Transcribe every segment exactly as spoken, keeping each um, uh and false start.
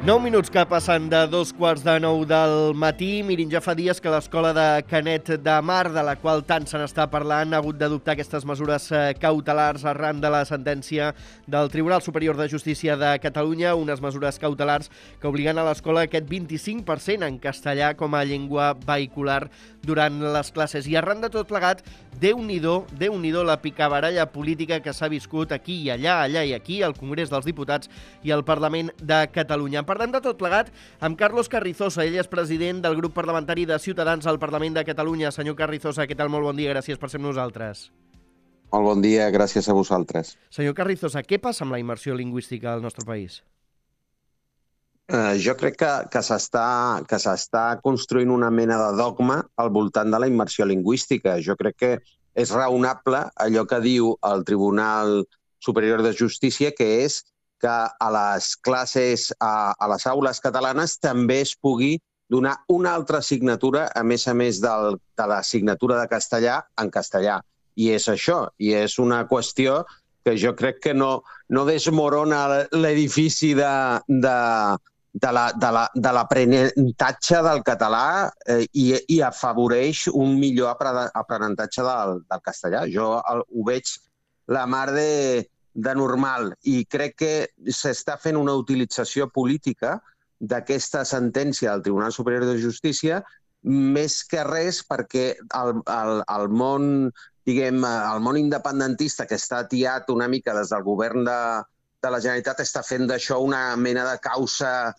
Nou minuts que passen de dos quarts de nou del matí. Mirin, ja fa dies que l'escola de Canet de Mar, de la qual tant se n'està parlant, ha hagut d'adoptar aquestes mesures cautelars arran de la sentència del Tribunal Superior de Justícia de Catalunya, unes mesures cautelars que obliguen a l'escola aquest vint-i-cinc per cent en castellà com a llengua vehicular durant les classes. I arran de tot plegat, Déu-n'hi-do, Déu-n'hi-do la picabaralla política que s'ha viscut aquí i allà, allà i aquí, al Congrés dels Diputats i al Parlament de Catalunya. Parlem de tot plegat amb Carlos Carrizosa. Ell és president del grup parlamentari de Ciutadans al Parlament de Catalunya. Senyor Carrizosa, què tal? Molt bon dia, gràcies per ser amb nosaltres. Molt bon dia, gràcies a vosaltres. Senyor Carrizosa, què passa amb la immersió lingüística al nostre país? Uh, jo crec que, que s'està que s'està construint una mena de dogma al voltant de la immersió lingüística. Jo crec que és raonable allò que diu el Tribunal Superior de Justícia, que és que a les classes, a, a les aules catalanes també es pugui donar una altra assignatura, a més a més del, de l'assignatura de castellà, en castellà. I és això, i és una qüestió que jo crec que no, no desmorona l'edifici de, de, de la, de la, de l'aprenentatge del català eh, i, i afavoreix un millor aprenentatge del, del castellà. Jo el, ho veig la mar de, de normal i crec que s'està fent una utilització política d'aquesta sentència del Tribunal Superior de Justícia més que res perquè el, el, el món, diguem, el món independentista que està atiat una mica des del govern de, de la Generalitat està fent d'això una mena de causa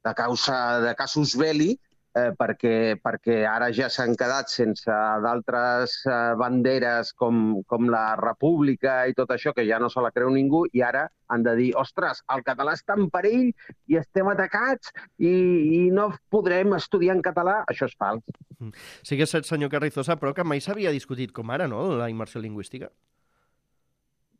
de causa de casus belli eh, perquè, perquè ara ja s'han quedat sense d'altres eh, banderes com, com la República i tot això, que ja no se la creu ningú, i ara han de dir, ostres, el català està en perill i estem atacats i, i no podrem estudiar en català. Això és fals. Sí que és cert, senyor Carrizosa, però que mai s'havia discutit com ara, no?, la immersió lingüística.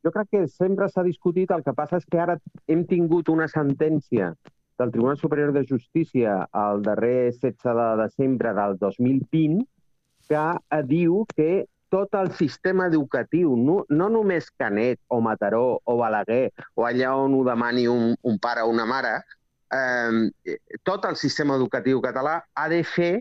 Jo crec que sempre s'ha discutit, el que passa és que ara hem tingut una sentència del Tribunal Superior de Justícia el darrer setze de desembre del dos mil vint que diu que tot el sistema educatiu, no, no només Canet o Mataró o Balaguer o allà on ho demani un, un pare o una mare, eh, tot el sistema educatiu català ha de fer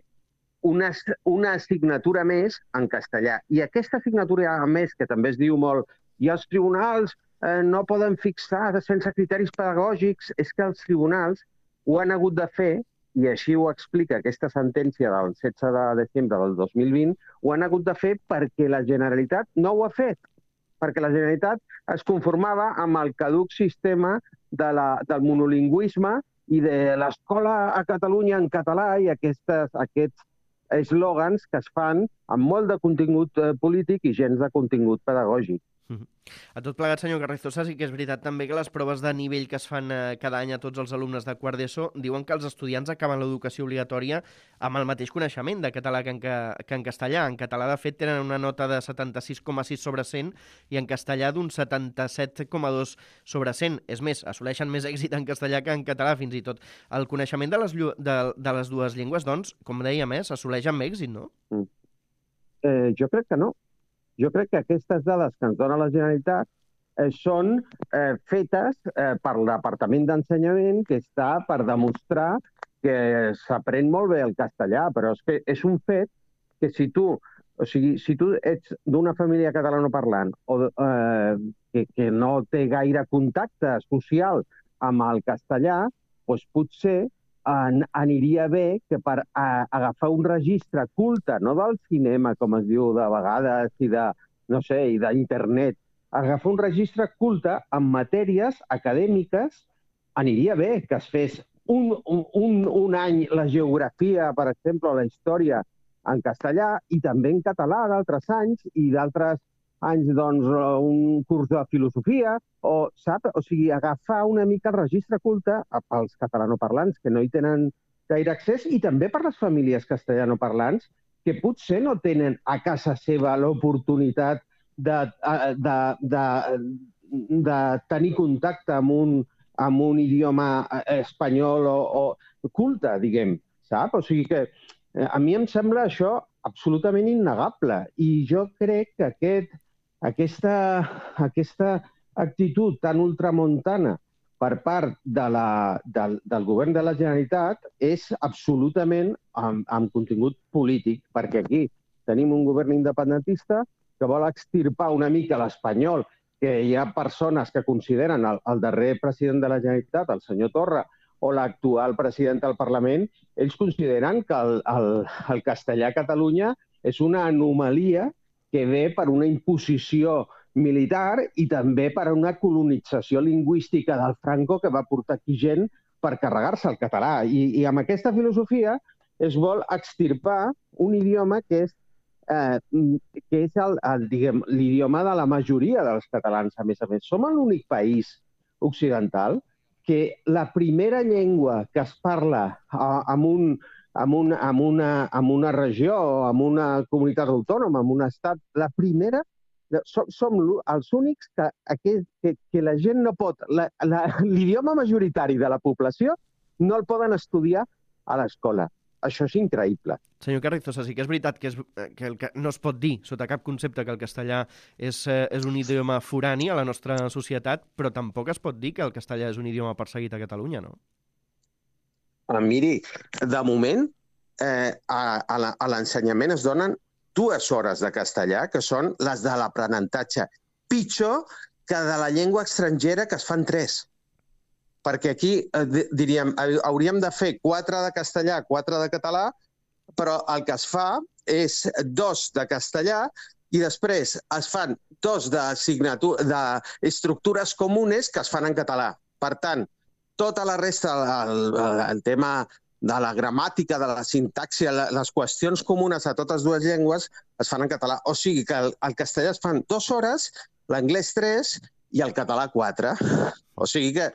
una, una assignatura més en castellà. I aquesta assignatura més, que també es diu molt, i els tribunals eh, no poden fixar sense criteris pedagògics, és que els tribunals ho han hagut de fer, i així ho explica aquesta sentència del setze de desembre del dos mil vint, ho han hagut de fer perquè la Generalitat no ho ha fet, perquè la Generalitat es conformava amb el caduc sistema de la, del monolingüisme i de l'escola a Catalunya en català i aquestes, aquests eslògans que es fan amb molt de contingut polític i gens de contingut pedagògic. A tot plegat, senyor Carrizosa, sí que és veritat també que les proves de nivell que es fan eh, cada any a tots els alumnes de quart d'ESO diuen que els estudiants acaben l'educació obligatòria amb el mateix coneixement de català que en, que, que en castellà. En català, de fet, tenen una nota de setanta-sis coma sis sobre cent i en castellà d'un setanta-set coma dos sobre cent. És més, assoleixen més èxit en castellà que en català, fins i tot. El coneixement de les, de, de les dues llengües, doncs, com dèiem, eh, s'assoleix amb èxit, no? Mm. Eh, jo crec que no. Jo crec que aquestes dades que ens dona la Generalitat eh, són eh, fetes eh, per el Departament d'Ensenyament, que està per demostrar que s'aprèn molt bé el castellà, però és que és un fet que si tu, o sigui, si tu ets d'una família catalanoparlant o eh, que, que no té gaire contacte social amb el castellà, doncs potser An, aniria bé que per a, agafar un registre culte, no del cinema, com es diu de vegades, i de, no sé, i d'internet, agafar un registre culte en matèries acadèmiques, aniria bé que es fes un, un, un, un any la geografia, per exemple, o la història en castellà, i també en català d'altres anys, i d'altres anys, doncs, un curs de filosofia, o, sap? O sigui, agafar una mica el registre culte pels catalanoparlants que no hi tenen gaire accés i també per les famílies castellanoparlants que potser no tenen a casa seva l'oportunitat de, de, de, de tenir contacte amb un, amb un idioma espanyol o, o culte, diguem, sap? O sigui que a mi em sembla això absolutament innegable i jo crec que aquest Aquesta, aquesta actitud tan ultramontana per part de la, del, del govern de la Generalitat és absolutament amb, amb contingut polític, perquè aquí tenim un govern independentista que vol extirpar una mica l'espanyol, que hi ha persones que consideren el, el darrer president de la Generalitat, el senyor Torra, o l'actual president del Parlament, ells consideren que el, el, el castellà a Catalunya és una anomalia que ve per una imposició militar i també per una colonització lingüística del Franco que va portar aquí gent per carregar-se el català. I, i amb aquesta filosofia es vol extirpar un idioma que és, eh, que és el, el, diguem, l'idioma de la majoria dels catalans, a més a més. Som l'únic país occidental que la primera llengua que es parla en, un, en, un, en, una, en una regió o en una comunitat autònoma, en un estat, la primera, som, som els únics que, que, que la gent no pot... L'idioma majoritari de la població no el poden estudiar a l'escola. Això és increïble. Senyor Carrizosa, sí que és veritat que, és, que, el que no es pot dir sota cap concepte que el castellà és, és un idioma forani a la nostra societat, però tampoc es pot dir que el castellà és un idioma perseguit a Catalunya, no? Ah, miri, de moment eh, a, a l'ensenyament es donen dues hores de castellà, que són les de l'aprenentatge, pitjor que de la llengua estrangera, que es fan tres. Perquè aquí, eh, diríem, hauríem de fer quatre de castellà, quatre de català, però el que es fa és dos de castellà i després es fan dos d'estructures comunes que es fan en català. Per tant, tota la resta, el, el tema de la gramàtica, de la sintaxi, les qüestions comunes a totes dues llengües es fan en català. O sigui que el, el castellà es fan dues hores, l'anglès tres i el català quatre. O sigui que,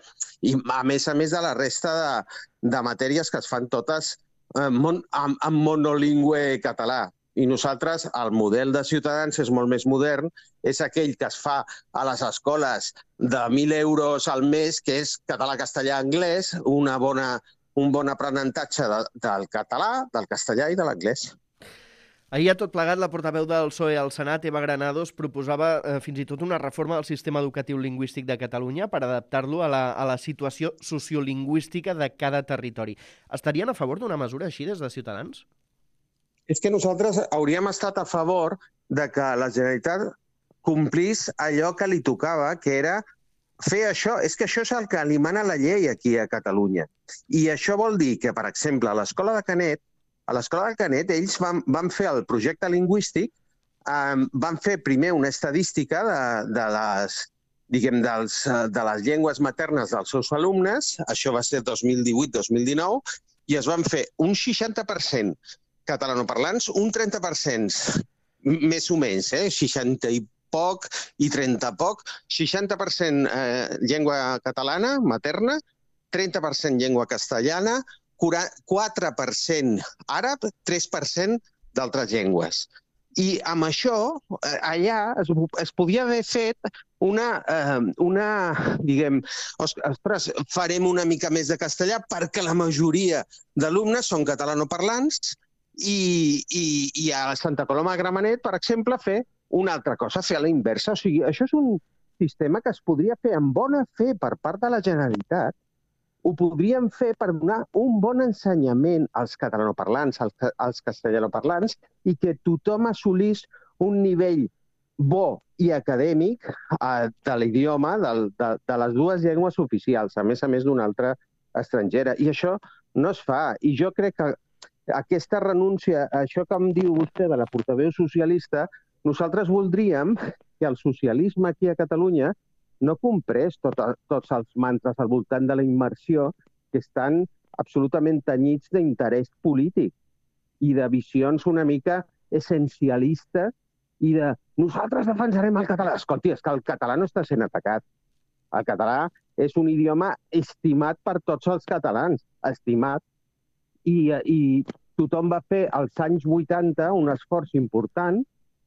i a més a més de la resta de, de matèries que es fan totes eh, mon, amb, amb monolingüe català. I nosaltres, el model de Ciutadans és molt més modern, és aquell que es fa a les escoles de mil euros al mes, que és català, castellà, anglès, una bona, un bon aprenentatge de, del català, del castellà i de l'anglès. Ahir a tot plegat, la portaveu del P S O E al Senat, Eva Granados, proposava eh, fins i tot una reforma del sistema educatiu lingüístic de Catalunya per adaptar-lo a, la, a la situació sociolingüística de cada territori. Estarien a favor d'una mesura així des de Ciutadans? És que nosaltres hauríem estat a favor de que la Generalitat complís allò que li tocava, que era fer això. És que això és el que li mana la llei aquí a Catalunya. I això vol dir que, per exemple, a l'escola de Canet, a l'escola de Canet, ells van, van fer el projecte lingüístic, eh, van fer primer una estadística de, de, les, diguem, dels, de les llengües maternes dels seus alumnes, això va ser dos mil divuit dos mil dinou, i es van fer un seixanta per cent catalanoparlants, un trenta per cent més o menys, eh, seixanta i poc i trenta poc, seixanta per cent eh, llengua catalana materna, trenta per cent llengua castellana, quatre per cent àrab, tres per cent d'altres llengües. I amb això, allà es, es podia haver fet una, eh, una diguem, ostres, farem una mica més de castellà perquè la majoria d'alumnes són catalanoparlants i, i, i a Santa Coloma de Gramenet, per exemple, fer una altra cosa, fer a la inversa. O sigui, això és un sistema que es podria fer amb bona fe per part de la Generalitat. Ho podríem fer per donar un bon ensenyament als catalanoparlants, als, als castellanoparlants, i que tothom assolís un nivell bo i acadèmic eh, de l'idioma, de, de, de les dues llengües oficials, a més a més d'una altra estrangera. I això no es fa. I jo crec que aquesta renúncia, això que em diu vostè de la portaveu socialista, nosaltres voldríem que el socialisme aquí a Catalunya no comprés tot, tots els mantres al voltant de la immersió que estan absolutament tenyits d'interès polític i de visions una mica essencialistes i de nosaltres defensarem el català. Escolti, és que el català no està sent atacat. El català és un idioma estimat per tots els catalans, estimat. I, i tothom va fer als anys vuitanta un esforç important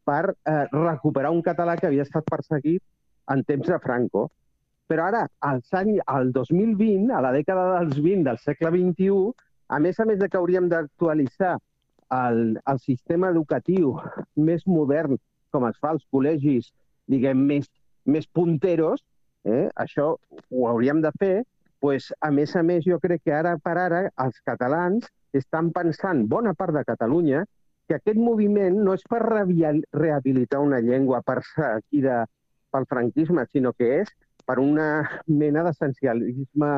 per eh, recuperar un català que havia estat perseguit en temps de Franco. Però ara, als anys, al dos mil vint, a la dècada dels vint del segle vint-i-u, a més a més de que hauríem d'actualitzar el, el sistema educatiu més modern, com es fa als col·legis, diguem, més, més punteros, Eh? Això ho hauríem de fer. Pues, a més a més, jo crec que ara per ara els catalans estan pensant, bona part de Catalunya, que aquest moviment no és per rehabilitar una llengua perseguida pel franquisme, sinó que és per una mena d'essencialisme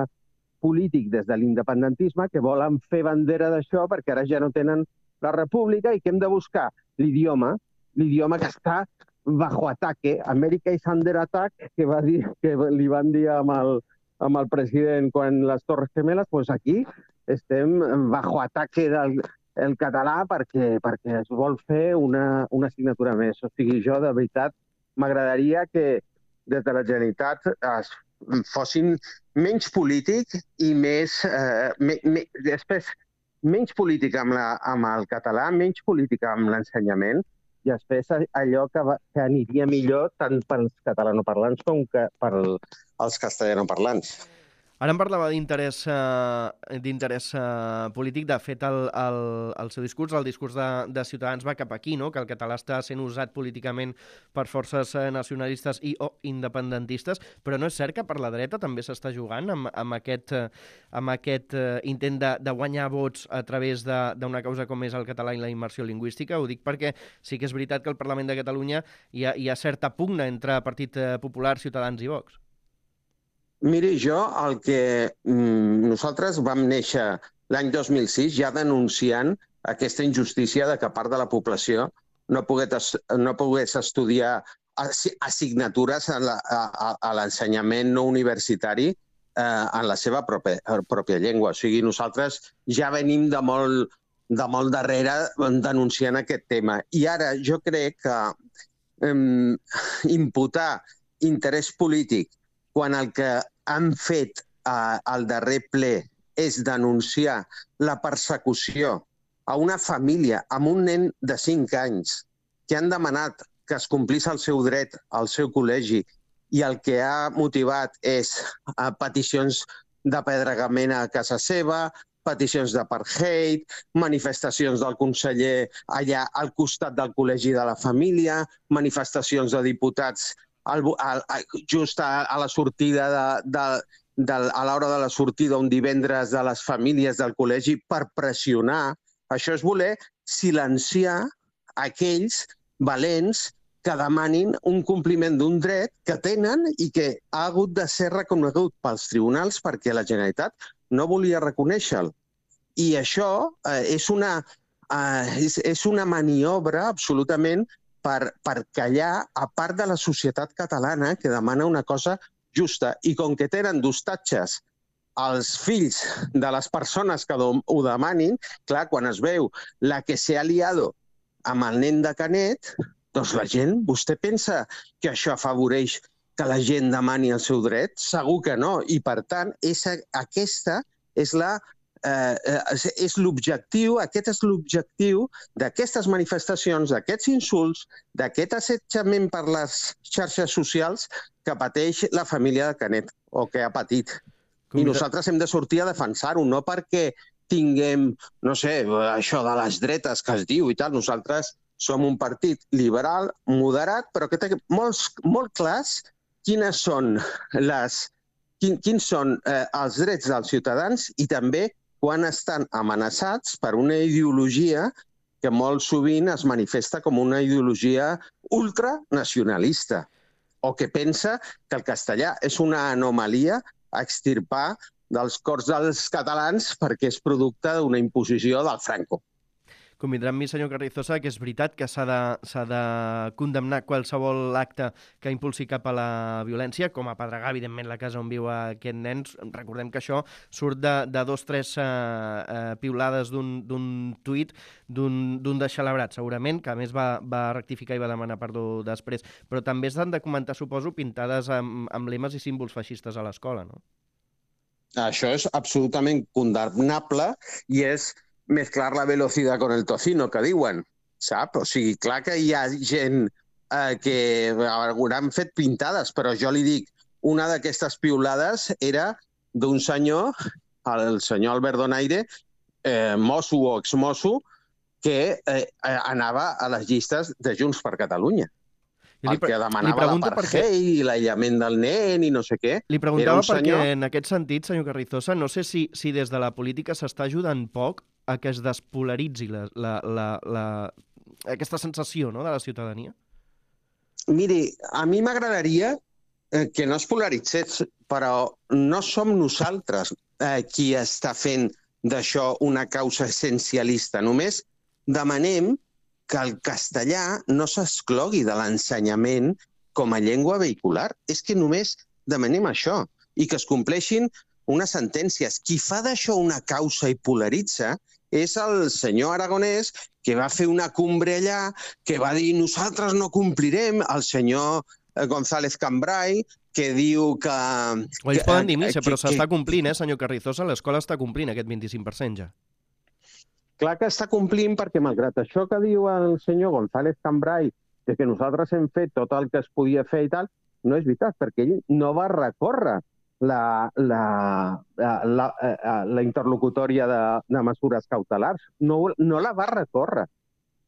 polític des de l'independentisme que volen fer bandera d'això perquè ara ja no tenen la república i que hem de buscar l'idioma, l'idioma que està bajo ataque. America is under attack, que, va dir, que li van dir amb el, amb el president quan les Torres Gemeles, doncs aquí estem bajo ataque del el català perquè, perquè es vol fer una, una assignatura més. O sigui, jo de veritat m'agradaria que des de la Generalitat es fossin menys polític i més... Eh, me, me, després, menys polític amb, la, amb el català, menys polític amb l'ensenyament, i després allò que, va, que aniria millor tant pels catalanoparlants com que pels castellanoparlants. Ara em parlava d'interès eh, d'interès eh, polític. De fet, el, el, el seu discurs, el discurs de, de Ciutadans va cap aquí, no? Que el català està sent usat políticament per forces nacionalistes i o independentistes, però no és cert que per la dreta també s'està jugant amb, amb aquest, amb aquest intent de, de guanyar vots a través d'una causa com és el català i la immersió lingüística. Ho dic perquè sí que és veritat que al Parlament de Catalunya hi ha, hi ha certa pugna entre Partit Popular, Ciutadans i Vox. Miri, jo el que mm, nosaltres vam néixer l'any dos mil sis ja denunciant aquesta injustícia de que part de la població no pogués, no pogués estudiar assignatures a, la, a, a l'ensenyament no universitari eh, en la seva pròpia, pròpia llengua. O sigui, nosaltres ja venim de molt, de molt darrere denunciant aquest tema. I ara jo crec que eh, imputar interès polític quan el que han fet eh, al darrer ple és denunciar la persecució a una família amb un nen de cinc anys que han demanat que es complís el seu dret al seu col·legi i el que ha motivat és eh, peticions d'apedregament a casa seva, peticions d'apartheid, manifestacions del conseller allà al costat del col·legi de la família, manifestacions de diputats Al, al, just a, a la sortida de, de, de, a l'hora de la sortida un divendres de les famílies del col·legi per pressionar. Això és voler silenciar aquells valents que demanin un compliment d'un dret que tenen i que ha hagut de ser reconegut pels tribunals perquè la Generalitat no volia reconèixer-lo. I això eh, és, una, eh, és, és una maniobra absolutament Per, per callar a part de la societat catalana que demana una cosa justa. I com que tenen d'hostatges els fills de les persones que ho demanin, clar, quan es veu la que s'ha liado amb el nen de Canet, doncs la gent, vostè pensa que això afavoreix que la gent demani el seu dret? Segur que no. I, per tant, és, aquesta és la Eh, és l'objectiu, aquest és l'objectiu d'aquestes manifestacions, d'aquests insults, d'aquest assetjament per les xarxes socials que pateix la família de Canet o que ha patit. I nosaltres hem de sortir a defensar-ho, no perquè tinguem, no sé, això de les dretes que es diu i tal. Nosaltres som un partit liberal, moderat, però que té molts, molt clars quines són les, quin, quins són eh, els drets dels ciutadans i també quan estan amenaçats per una ideologia que molt sovint es manifesta com una ideologia ultranacionalista o que pensa que el castellà és una anomalia a extirpar dels cors dels catalans perquè és producte d'una imposició del Franco. Convindrà amb mi, senyor Carrizosa, que és veritat que s'ha de, s'ha de condemnar qualsevol acte que impulsi cap a la violència, com a pedregar, evidentment, la casa on viu aquest nen. Recordem que això surt de, de dos, tres eh, eh, piulades d'un tuit d'un deixalabrat, segurament, que a més va, va rectificar i va demanar perdó després. Però també s'han de comentar, suposo, pintades amb, amb lemes i símbols feixistes a l'escola, no? Això és absolutament condemnable i és mezclar la velocidad con el tocino, que diuen, sap? O sigui, clar que hi ha gent eh, que hauran fet pintades, però jo li dic, una d'aquestes piulades era d'un senyor, el senyor Albert Donaire, eh, mosso o exmosso, que eh, anava a les llistes de Junts per Catalunya. el que demanava l'apartheid i l'aïllament del nen i no sé què. Li preguntava perquè, en aquest sentit, senyor Carrizosa, no sé si, si des de la política s'està ajudant poc a que es despolaritzi la, la, la, la, aquesta sensació, no?, de la ciutadania. Miri, a mi m'agradaria que no es polaritzés, però no som nosaltres eh, qui està fent d'això una causa essencialista. Només demanem que el castellà no s'exclogui de l'ensenyament com a llengua vehicular. És que només demanem això i que es compleixin unes sentències. Qui fa d'això una causa i polaritza és el senyor Aragonès, que va fer una cumbre allà, que va dir nosaltres no complirem, el senyor González Cambray, que diu que... O ells poden dir missa, però s'està complint, eh, senyor Carrizosa? L'escola està complint aquest vint-i-cinc per cent ja. Clar que està complint perquè, malgrat això que diu el senyor González Cambray, de que nosaltres hem fet tot el que es podia fer i tal, no és veritat, perquè ell no va recórrer la, la, la, la, la interlocutòria de, de mesures cautelars. No, no la va recórrer.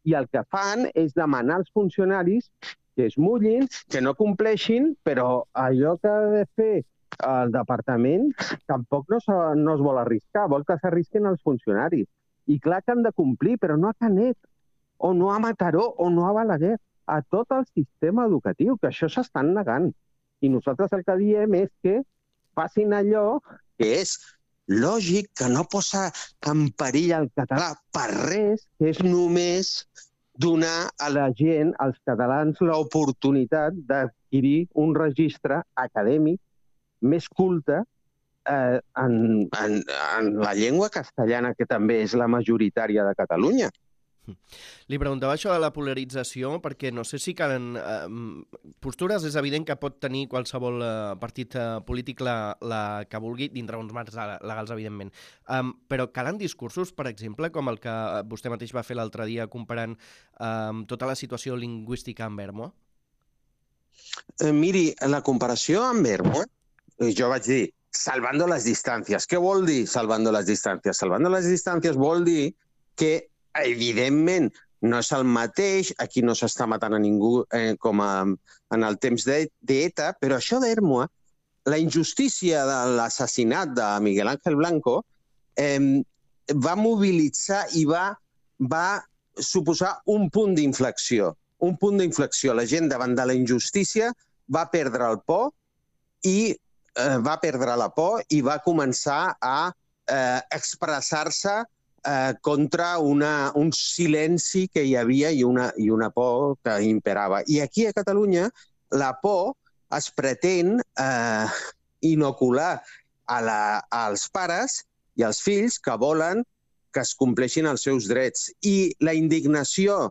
I el que fan és demanar als funcionaris que es mullin, que no compleixin, però allò que ha de fer el departament tampoc no, no es vol arriscar, vol que s'arrisquin els funcionaris. I clar que han de complir, però no a Canet, o no a Mataró, o no a Balaguer, a tot el sistema educatiu, que això s'estan negant. I nosaltres el que diem és que facin allò que és lògic, que no posa en perill el català per res, que és només donar a la gent, als catalans, l'oportunitat d'adquirir un registre acadèmic més culte eh, en, en, en la llengua castellana, que també és la majoritària de Catalunya. Li preguntava això de la polarització perquè no sé si calen eh, postures. És evident que pot tenir qualsevol eh, partit eh, polític la, la que vulgui, dintre uns marcs legals, evidentment. Um, però calen discursos, per exemple, com el que vostè mateix va fer l'altre dia comparant um, tota la situació lingüística amb Ermo? Eh, miri, la comparació amb Ermo, jo vaig dir, salvando las distancias. Què vol dir salvando las distancias? Salvando las distancias vol dir que evidentment, no és el mateix, aquí no s'està matant a ningú eh, com a, en el temps d'ETA, però això d'Ermo, la injustícia de l'assassinat de Miguel Ángel Blanco eh, va mobilitzar i va, va suposar un punt d'inflexió. Un punt d'inflexió. La gent davant de la injustícia va perdre el por i eh, va perdre la por i va començar a eh, expressar-se Eh, contra una, un silenci que hi havia i una, i una por que imperava. I aquí a Catalunya la por es pretén eh, inocular a la, als pares i als fills que volen que es compleixin els seus drets. I la indignació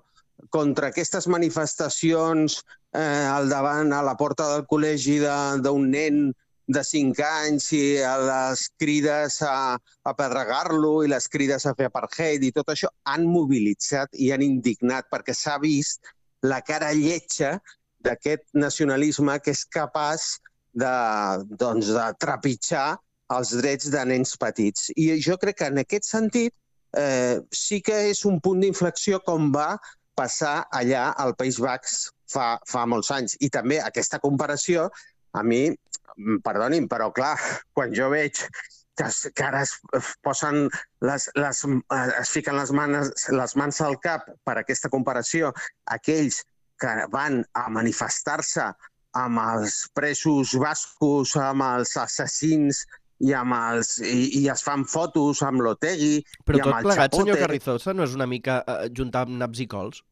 contra aquestes manifestacions eh, al davant, a la porta del col·legi d'un nen de cinc anys i a les crides a apedregar-lo i les crides a fer apartheid i tot això han mobilitzat i han indignat perquè s'ha vist la cara lletja d'aquest nacionalisme que és capaç de, doncs, de trepitjar els drets de nens petits. I jo crec que en aquest sentit eh, sí que és un punt d'inflexió com va passar allà al País Basc fa, fa molts anys. I també aquesta comparació a mi, perdonin, però clar, quan jo veig que, que ara es posen les, les, es fiquen les mans, les mans al cap per aquesta comparació, aquells que van a manifestar-se amb els presos bascos, amb els assassins i, amb els, i, i es fan fotos amb l'Otegi i amb el Chapote. Però tot plegat, senyor Carrizosa, no és una mica eh, juntar naps i cols?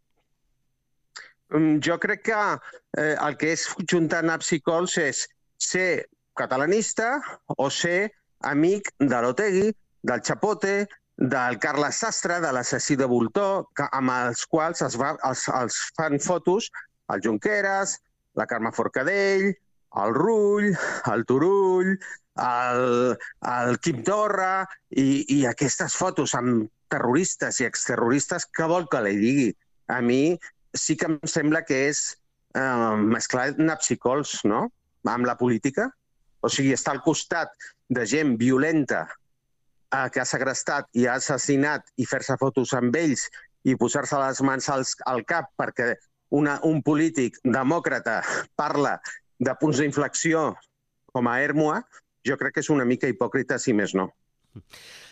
Jo crec que eh, el que és juntar naps i cols és ser catalanista o ser amic de l'Otegi, del Chapote, del Carles Sastre, de l'assassí de Voltor, que, amb els quals es, va, els, els fan fotos el Junqueras, la Carme Forcadell, el Rull, el Turull, el, el Quim Torra, i, i aquestes fotos amb terroristes i exterroristes, què vol que li digui? A mi sí que em sembla que és eh, mesclar naps i cols, no?, amb la política. O sigui, estar al costat de gent violenta eh, que ha segrestat i ha assassinat i fer-se fotos amb ells i posar-se les mans als, al cap perquè una, un polític demòcrata parla de punts d'inflexió com a Ermua, jo crec que és una mica hipòcrita, si més no.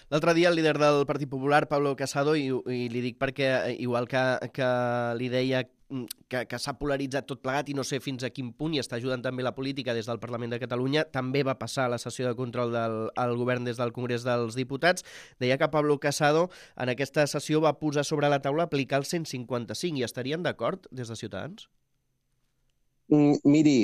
L'altre dia el líder del Partit Popular, Pablo Casado, i, i li dic perquè, igual que, que li deia que, que s'ha polaritzat tot plegat i no sé fins a quin punt i està ajudant també la política des del Parlament de Catalunya, també va passar a la sessió de control del al govern des del Congrés dels Diputats. Deia que Pablo Casado en aquesta sessió va posar sobre la taula aplicar el cent cinquanta-cinc i estarien d'acord des de Ciutadans? Mm, miri,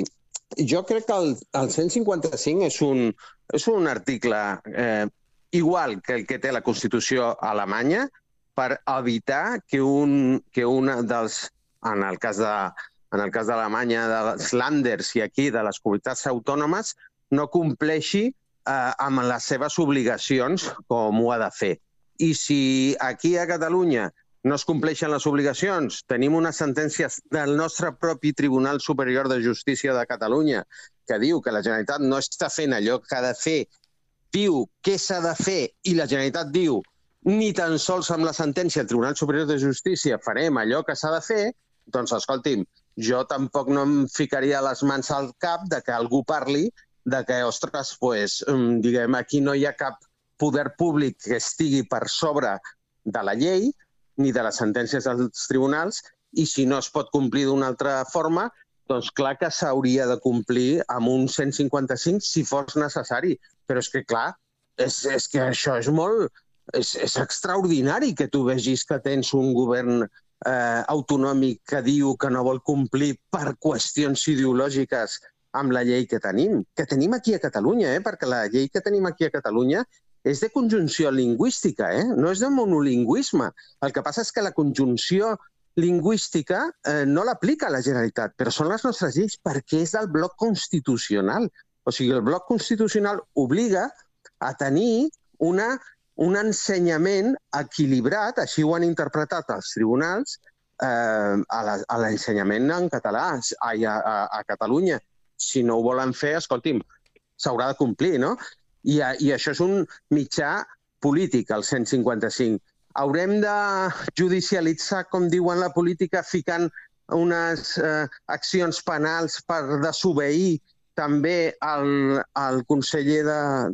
jo crec que el, el cent cinquanta-cinc és un, és un article eh, igual que el que té la Constitució alemanya per evitar que un, que una dels, en el cas de, en el cas d'Alemanya, dels Länders i aquí de les comunitats autònomes, no compleixi eh, amb les seves obligacions com ho ha de fer. I si aquí a Catalunya no es compleixen les obligacions, tenim unes sentències del nostre propi Tribunal Superior de Justícia de Catalunya que diu que la Generalitat no està fent allò que ha de fer, diu què s'ha de fer i la Generalitat diu ni tan sols amb la sentència del Tribunal Superior de Justícia farem allò que s'ha de fer, doncs escolti'm, jo tampoc no em ficaria les mans al cap de que algú parli de que, ostres, pues, diguem, aquí no hi ha cap poder públic que estigui per sobre de la llei ni de les sentències dels tribunals i si no es pot complir d'una altra forma, doncs clar que s'hauria de complir amb un cent cinquanta-cinc si fos necessari. Però és que, clar, és, és que això és molt... És, és extraordinari que tu vegis que tens un govern eh, autonòmic que diu que no vol complir per qüestions ideològiques amb la llei que tenim. Que tenim aquí a Catalunya, eh? Perquè la llei que tenim aquí a Catalunya és de conjunció lingüística, eh? No és de monolingüisme. El que passa és que la conjunció lingüística eh, no l'aplica la Generalitat, però són les nostres lleis perquè és del bloc constitucional. O sigui, el bloc constitucional obliga a tenir una, un ensenyament equilibrat, així ho han interpretat els tribunals, eh, a l'ensenyament en català a, a, a Catalunya. Si no ho volen fer, escolti'm, s'haurà de complir, no? I, I això és un mitjà polític, el cent cinquanta-cinc. Haurem de judicialitzar, com diuen la política, ficant unes eh, accions penals per desobeir també al, al conseller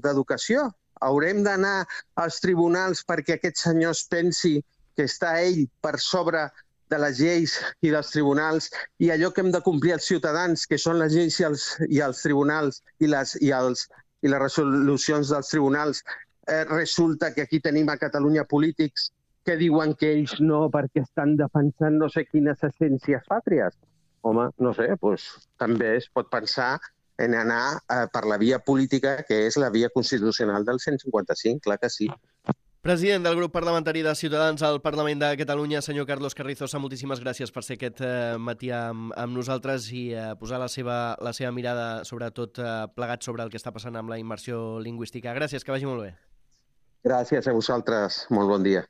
d'Educació? Haurem d'anar als tribunals perquè aquest senyor es pensi que està ell per sobre de les lleis i dels tribunals i allò que hem de complir els ciutadans, que són les lleis i els, i els tribunals i les, i, els, i les resolucions dels tribunals, eh, resulta que aquí tenim a Catalunya polítics que diuen que ells no perquè estan defensant no sé quines essències pàtries. Home, no sé, doncs, també es pot pensar en anar eh, per la via política, que és la via constitucional del cent cinquanta-cinc, clar que sí. President del grup parlamentari de Ciutadans al Parlament de Catalunya, senyor Carlos Carrizosa, moltíssimes gràcies per ser aquest eh, matí amb, amb nosaltres i eh, posar la seva, la seva mirada, sobretot eh, plegat sobre el que està passant amb la immersió lingüística. Gràcies, que vagi molt bé. Gràcies a vosaltres, molt bon dia.